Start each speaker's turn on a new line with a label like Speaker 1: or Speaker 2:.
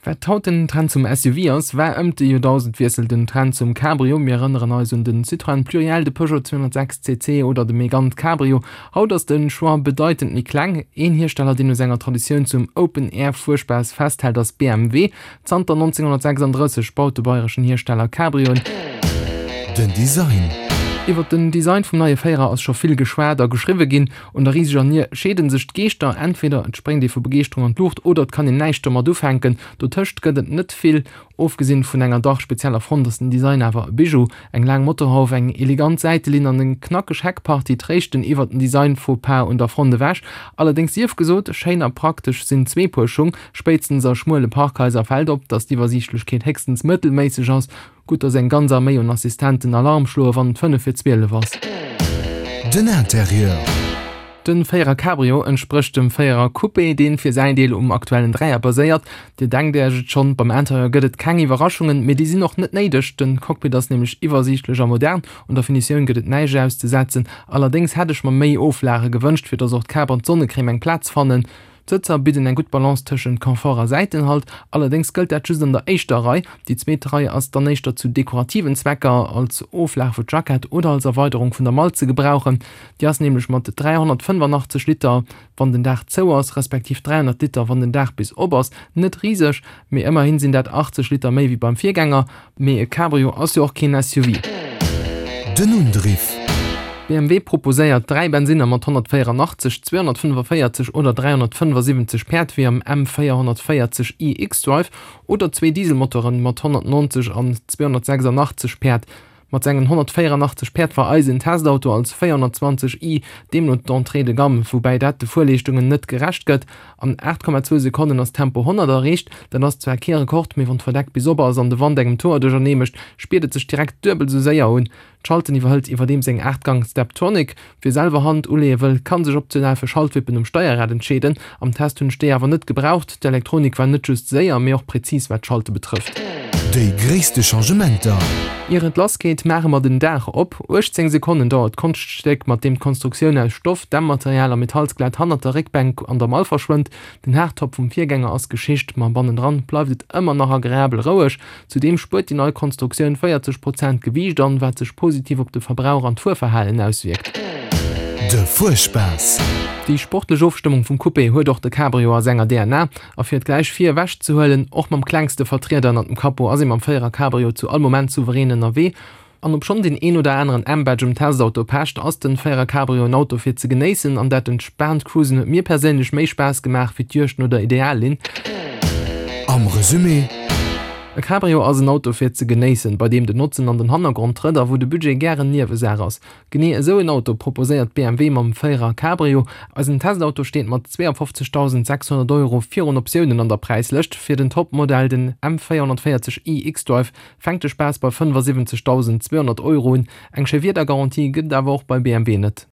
Speaker 1: Wat haut den Trend zum SUV ass, war ëmt de Joerdausendwiessel den Trend zum Cabrio. Mir erënneren eis un den Citroën Pluriel, de Peugeot 206 CC oder de Mégane Cabrio. Haut ass de Choix bedeitend méi kleng. Een Hiersteller, deen u senger Traditioun zum Open-Air-Fuerspaass festhält, ass BMW. Zanter 1936 baut de bayreschen Hiersteller Cabrioen.
Speaker 2: Den Design.
Speaker 1: Iwwer den Design vum neie Féierer ass scho vill geschwat a geschriwwe ginn. Un der riseger Nier scheede sech d'Geeschter, entweder et spréngt ee vu Begeeschterung an d'Luucht oder et kann een näischt domat ufänken. Dotëscht gëtt et net vill. Ofgesinn vun enger dach spezieller Front ass den Design awer e Bijou. Eng laang Motorhauf, eng elegant Säitelinn an eng knackeg Heckpartie tréischten iwwer den Design-Faux-pas un der Front ewech. Allerdéngs sief gesot, schéin a praktesch sinn zweepuer Schung. Spéitstens a schmuele Parkhaiser fält op, dass d'Iwwersiichtlechkeet héchstens mëttelméisseg ass. Gutt, dass eng ganz Arméi un Assistenten Alarm schloe wann et 5 vir 12 ass.
Speaker 2: Den Interieur.
Speaker 1: Den Véierer Cabrio entsprécht dem Véierer Coupé, deen fir säin Deel um aktuellen Dräier baséiert. Dir denkt Äech et schonn, beim Interieur gëtt et keng Iwwerraschungen, mee déi sinn och net néideg. Den Cockpit ass nämlech iwwersiichtlech a modern, un der Finitioun gëtt et näischt auszesetzen. Allerdéngs hätt ech mer méi Oflage gewënscht, fir dass och d'Kap an d'Sonnecrème eng Plaz fannen. D'Sëtzer bidden eng gutt Balance tëschent Confort a Säitenhalt, allerdéngs gëllt dat just an der éischter Rei. Déi zweet Rei ass dann éischter zu dekorativen Zwecker, als Oflag fir d'Jackett oder als Erweiderung vun der Mall ze gebrauchen. Déi ass nämlech mat 385 Liter, wann den Daach zou ass, respektiv 300 Liter, wann den Daach bis op ass, net riseg, mee ëmmerhin sinn dat 80 Liter méi wéi beim Virgänger. Mee e Cabrio ass jo och keen SUV.
Speaker 2: Den Undriff.
Speaker 1: BMW proposéiert 3 Bensinner mat 184, 245 oder 375 Päerd wéi am M 440 i xDrive oder zwee Dieselmotoren mat 190 an 286 Päerd. Mat sengen 184 Päerd war eisen Testauto als 420 i deemno d'Entrée de gamme, woubäi dat de Fuerleeschtungen net gerecht gëtt. An 8,2 Sekonnen ass Tempo 100 erreecht. Dat ass zwar kee Rekord, mee wann d'Verdeck bis op ass an de Wand engem d'Hoer duerchernee mécht, spiert et sech direkt duebel esou séier un. D'Schalten iwwerhëlt iwwerdeems eng 8 Gang Steptronic. Wie selwer Hand uleeë wëll, kann sech optional fir Schaltwippen um Steierrad entscheeden. Am Test hunn ech déi awer net gebraucht. D'Elektronik war net just séier, mee och präzis wat d'Schalte betrëfft.
Speaker 2: Déi gréisste Changementer.
Speaker 1: Ier et lass geet, maache mer den Daach op. 18 Sekonnen dauert d'Konschtstéck, mat deem d'Konstruktioun aus Stoff, Dämmmaterial a Metallsklett hannert der Réckbänk an der Mall verschwënnt. Den Hardtop vum Virgänger ass Geschicht, ma bannendran bleift et ëmmer nach agreabel roueg. Zudeem spuert déi nei Konstruktioun 40 Prozent Gewiicht an, wat sech positiv op de Verbrauch an d'Fuerverhalen auswierkt.
Speaker 2: De Fuerspaass.
Speaker 1: Déi sportlech Ofstëmmung vum Coupé huet och de Cabrio a senger DNA. A fir et gläich vir ewech ze huelen, och mam klengste Vertrieder ënnert dem Capot ass ee mam Véierer Cabrio zu all Moment souverän ënnerwee. An obschonn deen een oder aneren M-Badge um Testauto pecht, ass den Véierer Cabrio en Auto fir ze genéissen an dat entspaant Cruisen huet mir perséinlech méi Spaass gemaach wéi d'Juegd no der Ideallinn.
Speaker 2: Am Resumé.
Speaker 1: E Cabrio ass en Auto fir ze genéissen, bei deem den Notzen an den Hannergrond trëtt a wou de Budget gären Niewesaach ass. Genee esou en Auto proposéiert BMW mam Véierer Cabrio. Eisen Testauto steet mat 52.600 Euro virun Optiounen an der Präislëscht. Fir den Topmodell, den M440i xDrive, Fänkt de Spaass bei 75.200 Euro un. Eng Schéiwiedergarantie gëtt et awer och bei BMW net.